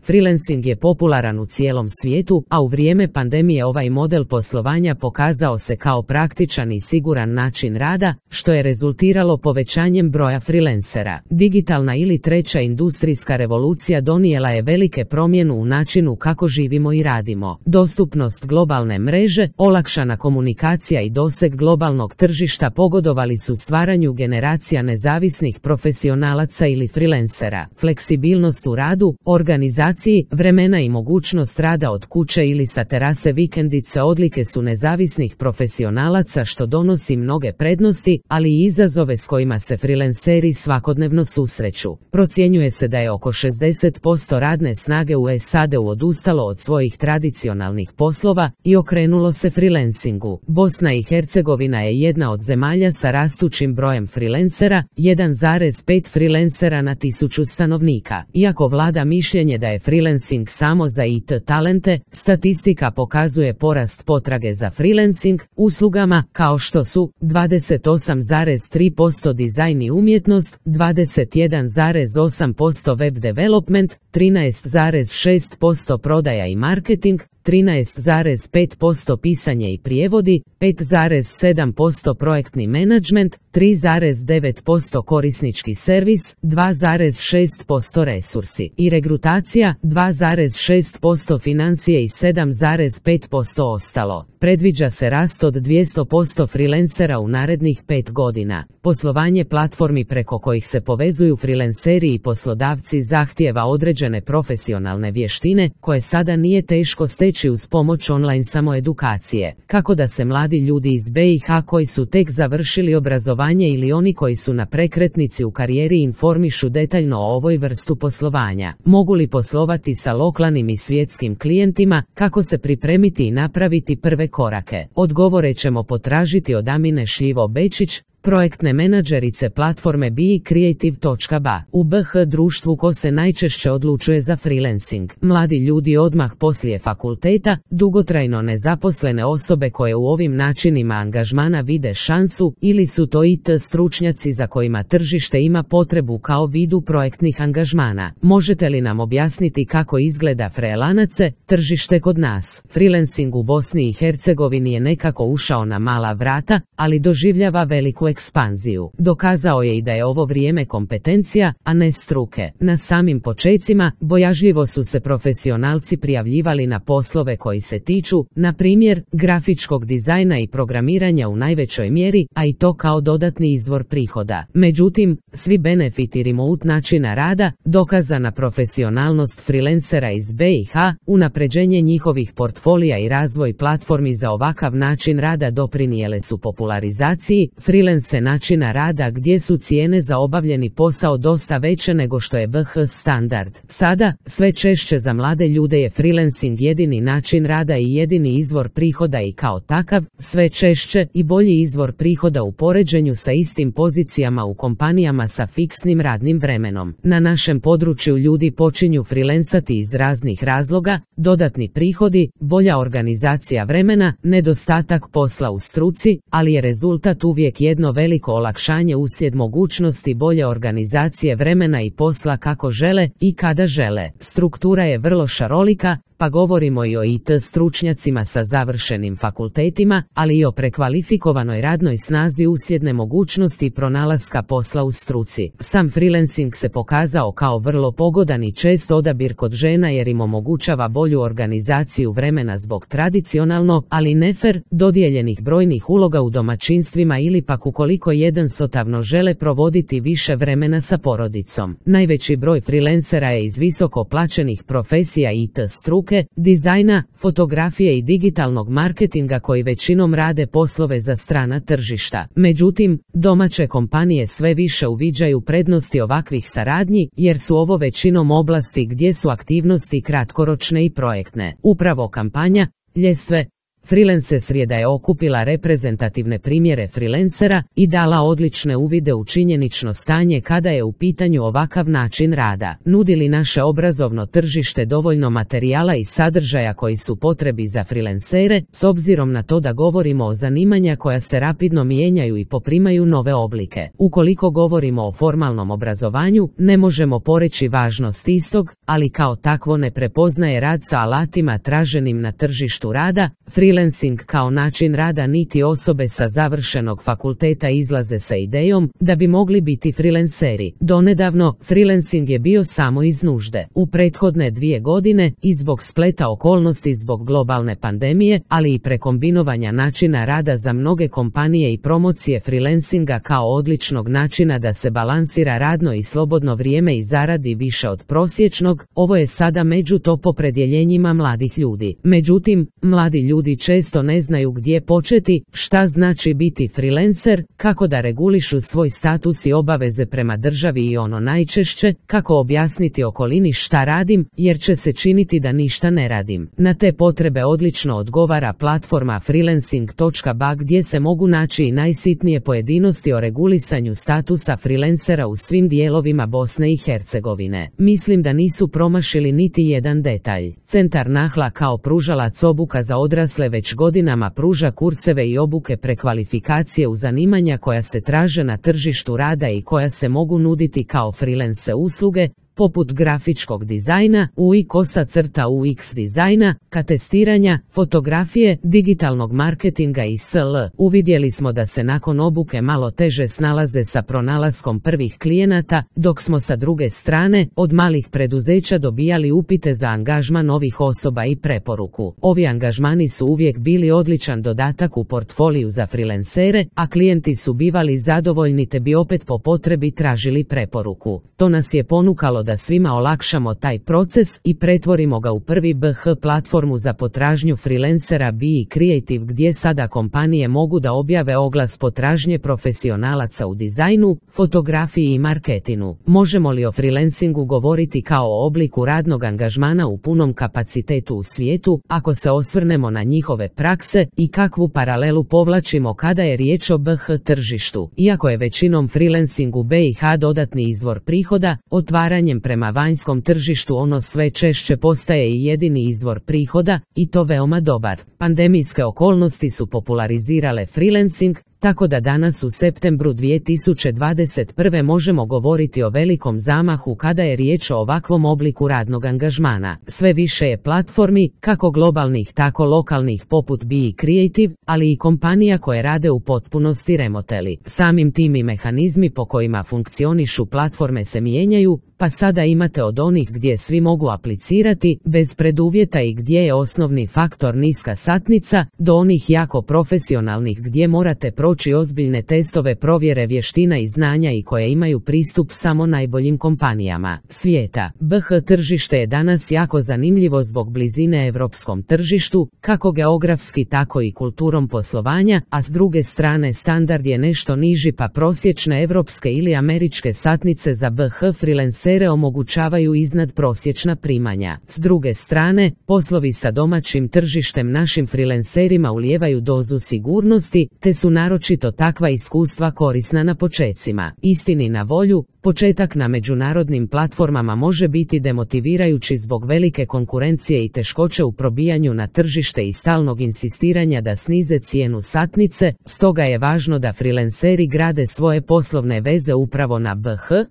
Freelancing je popularan u cijelom svijetu, a u vrijeme pandemije ovaj model poslovanja pokazao se kao praktičan i siguran način rada, što je rezultiralo povećanjem broja freelancera. Digitalna ili treća industrijska revolucija donijela je velike promjene u načinu kako živimo i radimo. Dostupnost globalne mreže, olakšana komunikacija i doseg globalnog tržišta pogodovali su stvaranju generacija nezavisnih profesionalaca ili freelancera. Fleksibilnost u radu, organizaciji, vremena i mogućnost rada od kuće ili sa terase vikendice odlike su nezavisnih profesionalaca, što donosi mnoge prednosti, ali i izazove s kojima se freelanceri svakodnevno susreću. Procjenjuje se da je oko 60% radne snage u SAD-u odustalo od svojih tradicionalnih poslova i okrenulo se freelancingu. Bosna i Hercegovina je jedna od zemalja sa rastućim brojem freelancera, 1,5 freelancera na 1000 stanovnika. Iako vlada mišljenje da je freelancing samo za IT talente, statistika pokazuje porast potrage za freelancing uslugama kao što su 28,3% dizajn i umjetnost, 21,8% web development, 13,6% prodaja i marketing, 13,5% pisanje i prijevodi, 5,7% projektni menadžment, 3,9% korisnički servis, 2,6% resursi i regrutacija, 2,6% financije i 7,5% ostalo. Predviđa se rast od 200% freelancera u narednih 5 godina. Poslovanje platformi preko kojih se povezuju freelanceri i poslodavci zahtijeva određene profesionalne vještine koje sada nije teško steći uz pomoć online samoedukacije. Kako da se mladi ljudi iz BiH koji su tek završili obrazovanje ili oni koji su na prekretnici u karijeri informišu detaljno o ovoj vrstu poslovanja? Mogu li poslovati sa lokalnim i svjetskim klijentima? Kako se pripremiti i napraviti prve korake? Odgovore ćemo potražiti od Amine Šljivo-Bečić, projektne menadžerice platforme BeCreative.ba. U BiH društvu ko se najčešće odlučuje za freelancing? Mladi ljudi odmah poslije fakulteta, dugotrajno nezaposlene osobe koje u ovim načinima angažmana vide šansu, ili su to IT stručnjaci za kojima tržište ima potrebu kao vidu projektnih angažmana. Možete li nam objasniti kako izgleda freelance tržište kod nas? Freelancing u Bosni i Hercegovini je nekako ušao na mala vrata, ali doživljava veliku ekspanziju. Dokazao je i da je ovo vrijeme kompetencija, a ne struke. Na samim počecima, bojažljivo su se profesionalci prijavljivali na poslove koji se tiču, na primjer, grafičkog dizajna i programiranja u najvećoj mjeri, a i to kao dodatni izvor prihoda. Međutim, svi benefiti remote načina rada, dokazana profesionalnost freelancera iz BiH, unapređenje njihovih portfolija i razvoj platformi za ovakav način rada doprinijele su popularizaciji freelance načina rada gdje su cijene za obavljeni posao dosta veće nego što je BiH standard. Sada, sve češće za mlade ljude je freelancing jedini način rada i jedini izvor prihoda i kao takav, sve češće i bolji izvor prihoda u poređenju sa istim pozicijama u kompanijama sa fiksnim radnim vremenom. Na našem području ljudi počinju freelancati iz raznih razloga, dodatni prihodi, bolja organizacija vremena, nedostatak posla u struci, ali je rezultat uvijek jedno veliko olakšanje uslijed mogućnosti bolje organizacije vremena i posla kako žele i kada žele. Struktura je vrlo šarolika, pa govorimo i o IT stručnjacima sa završenim fakultetima, ali i o prekvalifikovanoj radnoj snazi uslijed nemogućnosti pronalaska posla u struci. Sam freelancing se pokazao kao vrlo pogodan i čest odabir kod žena jer im omogućava bolju organizaciju vremena zbog tradicionalno, ali nefer, dodijeljenih brojnih uloga u domaćinstvima ili pak ukoliko jednostavno žele provoditi više vremena sa porodicom. Najveći broj freelancera je iz visoko plaćenih profesija IT struke, dizajna, fotografije i digitalnog marketinga koji većinom rade poslove za strana tržišta. Međutim, domaće kompanije sve više uviđaju prednosti ovakvih saradnji jer su ovo većinom oblasti gdje su aktivnosti kratkoročne i projektne. Upravo kampanja, ljestve, Freelance srijeda je okupila reprezentativne primjere freelancera i dala odlične uvide u činjenično stanje kada je u pitanju ovakav način rada. Nudi li naše obrazovno tržište dovoljno materijala i sadržaja koji su potrebi za freelancere, s obzirom na to da govorimo o zanimanja koja se rapidno mijenjaju i poprimaju nove oblike. Ukoliko govorimo o formalnom obrazovanju, ne možemo poreći važnost istog, ali kao takvo ne prepoznaje rad sa alatima traženim na tržištu rada. Freelancing kao način rada niti osobe sa završenog fakulteta izlaze sa idejom da bi mogli biti freelanceri. Donedavno, freelancing je bio samo iz nužde. U prethodne 2 godine, i zbog spleta okolnosti zbog globalne pandemije, ali i prekombinovanja načina rada za mnoge kompanije i promocije freelancinga kao odličnog načina da se balansira radno i slobodno vrijeme i zaradi više od prosječnog, ovo je sada među top opredjeljenjima mladih ljudi. Međutim, mladi ljudi često ne znaju gdje početi, šta znači biti freelancer, kako da regulišu svoj status i obaveze prema državi i ono najčešće, kako objasniti okolini šta radim, jer će se činiti da ništa ne radim. Na te potrebe odlično odgovara platforma freelancing.ba gdje se mogu naći i najsitnije pojedinosti o regulisanju statusa freelancera u svim dijelovima Bosne i Hercegovine. Mislim da nisu promašili niti jedan detalj. Centar Nahla kao pružalac obuka za odrasle već godinama pruža kurseve i obuke prekvalifikacije u zanimanja koja se traže na tržištu rada i koja se mogu nuditi kao freelance usluge, poput grafičkog dizajna, UI/UX dizajna, testiranja, fotografije, digitalnog marketinga i sl. Uvidjeli smo da se nakon obuke malo teže snalaze sa pronalaskom prvih klijenata, dok smo sa druge strane od malih preduzeća dobijali upite za angažman novih osoba i preporuku. Ovi angažmani su uvijek bili odličan dodatak u portfoliju za freelancere, a klijenti su bivali zadovoljni te bi opet po potrebi tražili preporuku. To nas je ponukalo da svima olakšamo taj proces i pretvorimo ga u prvi BH platformu za potražnju freelancera Be Creative gdje sada kompanije mogu da objave oglas potražnje profesionalaca u dizajnu, fotografiji i marketingu. Možemo li o freelancingu govoriti kao o obliku radnog angažmana u punom kapacitetu u svijetu, ako se osvrnemo na njihove prakse i kakvu paralelu povlačimo kada je riječ o BH tržištu? Iako je većinom freelancing u BiH dodatni izvor prihoda, otvaranjem prema vanjskom tržištu ono sve češće postaje i jedini izvor prihoda, i to veoma dobar. Pandemijske okolnosti su popularizirale freelancing, tako da danas u septembru 2021. možemo govoriti o velikom zamahu kada je riječ o ovakvom obliku radnog angažmana. Sve više je platformi, kako globalnih tako lokalnih poput Be Creative, ali i kompanija koje rade u potpunosti remoteli. Samim tim i mehanizmi po kojima funkcionišu platforme se mijenjaju, pa sada imate od onih gdje svi mogu aplicirati, bez preduvjeta i gdje je osnovni faktor niska satnica, do onih jako profesionalnih gdje morate proći ozbiljne testove provjere vještina i znanja i koje imaju pristup samo najboljim kompanijama svijeta. BH tržište je danas jako zanimljivo zbog blizine europskom tržištu, kako geografski tako i kulturom poslovanja, a s druge strane standard je nešto niži pa prosječne europske ili američke satnice za BH freelancere omogućavaju iznad prosječna primanja. S druge strane, poslovi sa domaćim tržištem našim freelancerima ulijevaju dozu sigurnosti, te su naročito takva iskustva korisna na počecima. Istini na volju, početak na međunarodnim platformama može biti demotivirajući zbog velike konkurencije i teškoće u probijanju na tržište i stalnog insistiranja da snize cijenu satnice, stoga je važno da freelanceri grade svoje poslovne veze upravo na BH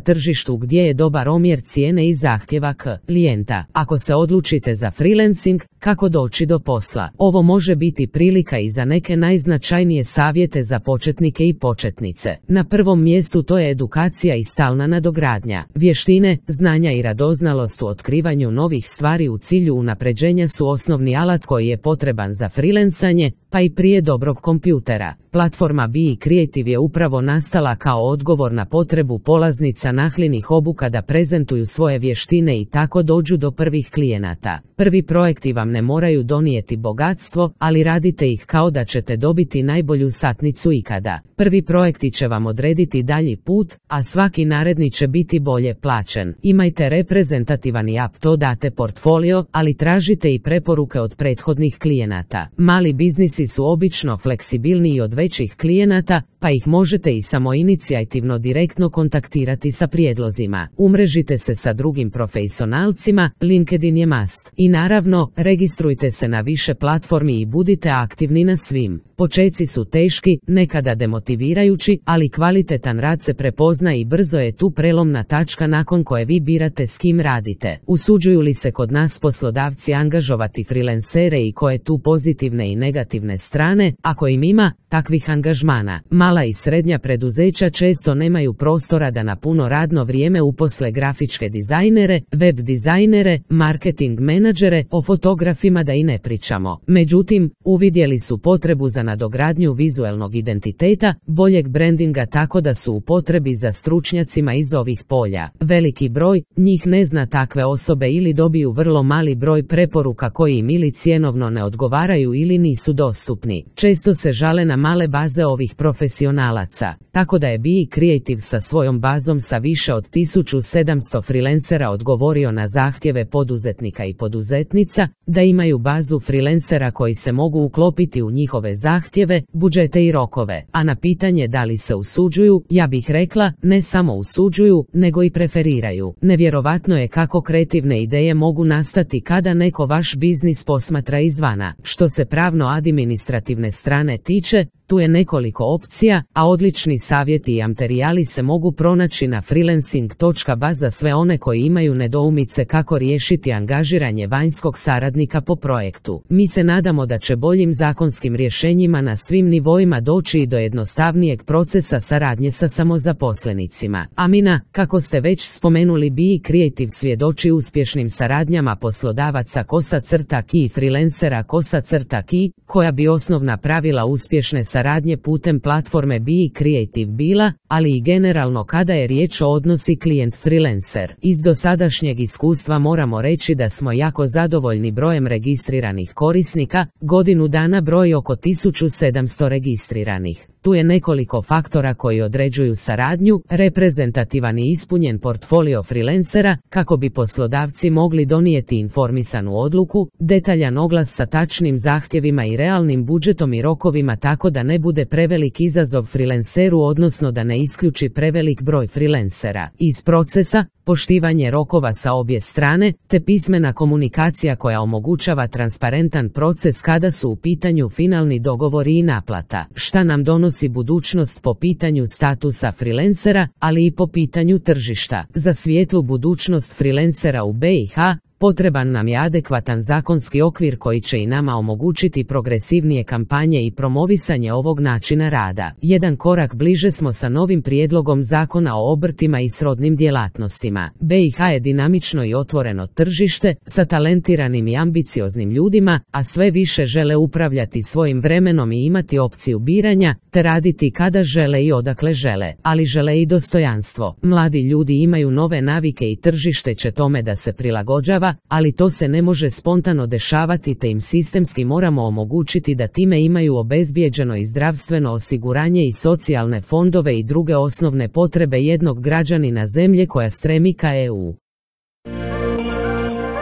tržištu gdje je dobar omjer cijene i zahtjeva klijenta. Ako se odlučite za freelancing, kako doći do posla? Ovo može biti prilika i za neke najznačajnije savjete za početnike i početnice. Na prvom mjestu to je edukacija i stalna nadogradnja. Vještine, znanja i radoznalost u otkrivanju novih stvari u cilju unapređenja su osnovni alat koji je potreban za freelancanje, pa i prije dobrog kompjutera. Platforma Be Creative je upravo nastala kao odgovor na potrebu polaznica Nahlinih obuka da prezentuju svoje vještine i tako dođu do prvih klijenata. Prvi projekti vam vam ne moraju donijeti bogatstvo, ali radite ih kao da ćete dobiti najbolju satnicu ikada. Prvi projekti će vam odrediti dalji put, a svaki naredni će biti bolje plaćen. Imajte reprezentativan i up-to-date portfolio, ali tražite i preporuke od prethodnih klijenata. Mali biznisi su obično fleksibilniji od većih klijenata, pa ih možete i samoinicijativno direktno kontaktirati sa prijedlozima. Umrežite se sa drugim profesionalcima, LinkedIn je must. I naravno, registrujte se na više platformi i budite aktivni na svim. Počeci su teški, nekada demotivirajući, ali kvalitetan rad se prepozna i brzo je tu prelomna tačka nakon koje vi birate s kim radite. Usuđuju li se kod nas poslodavci angažovati freelancere i koje tu pozitivne i negativne strane, ako im ima takvih angažmana? Mala i srednja preduzeća često nemaju prostora da na puno radno vrijeme uposle grafičke dizajnere, web dizajnere, marketing menadžere, o fotografima da i ne pričamo. Međutim, uvidjeli su potrebu za nadogradnju vizuelnog identiteta, boljeg brandinga, tako da su u potrebi za stručnjacima iz ovih polja. Veliki broj njih ne zna takve osobe ili dobiju vrlo mali broj preporuka koji im ili cjenovno ne odgovaraju ili nisu dostupni. Često se žale na male baze ovih profesionalaca, tako da je Be Creative sa svojom bazom sa više od 1700 freelancera odgovorio na zahtjeve poduzetnika i poduzetnica da imaju bazu freelancera koji se mogu uklopiti u njihove zahtjeve, budžete i rokove. A na pitanje da li se usuđuju, ja bih rekla, ne samo usuđuju, nego i preferiraju. Nevjerovatno je kako kreativne ideje mogu nastati kada neko vaš biznis posmatra izvana. Što se pravno-administrativne strane tiče, tu je nekoliko opcija, a odlični savjeti i materijali se mogu pronaći na freelancing.ba za sve one koji imaju nedoumice kako riješiti angažiranje vanjskog saradnika po projektu. Mi se nadamo da će boljim zakonskim rješenjima na svim nivoima doći i do jednostavnijeg procesa saradnje sa samozaposlenicima. Amina, kako ste već spomenuli, Be Creative svjedoči uspješnim saradnjama poslodavaca _ki i freelancera _ki, koja bi osnovna pravila uspješne saradnje putem platforme Be Creative bila, ali i generalno kada je riječ o odnosi klijent-freelancer. Iz dosadašnjeg iskustva moramo reći da smo jako zadovoljni brojem registriranih korisnika, godinu dana broj oko 1700 registriranih. Tu je nekoliko faktora koji određuju saradnju, reprezentativan i ispunjen portfolio freelancera, kako bi poslodavci mogli donijeti informisanu odluku, detaljan oglas sa tačnim zahtjevima i realnim budžetom i rokovima, tako da ne bude prevelik izazov freelanceru, odnosno da ne isključi prevelik broj freelancera iz procesa, poštivanje rokova sa obje strane, te pismena komunikacija koja omogućava transparentan proces kada su u pitanju finalni dogovori i naplata. Šta nam donosi budućnost po pitanju statusa freelancera, ali i po pitanju tržišta? Za svijetlu budućnost freelancera u BiH potreban nam je adekvatan zakonski okvir koji će i nama omogućiti progresivnije kampanje i promovisanje ovog načina rada. Jedan korak bliže smo sa novim prijedlogom zakona o obrtima i srodnim djelatnostima. BiH je dinamično i otvoreno tržište sa talentiranim i ambicioznim ljudima, a sve više žele upravljati svojim vremenom i imati opciju biranja, te raditi kada žele i odakle žele, ali žele i dostojanstvo. Mladi ljudi imaju nove navike i tržište će tome da se prilagođava, ali to se ne može spontano dešavati, te im sistemski moramo omogućiti da time imaju obezbijeđeno i zdravstveno osiguranje i socijalne fondove i druge osnovne potrebe jednog građanina zemlje koja stremi ka EU.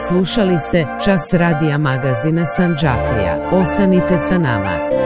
Slušali ste Čas radija magazina Sandžaklija. Ostanite sa nama.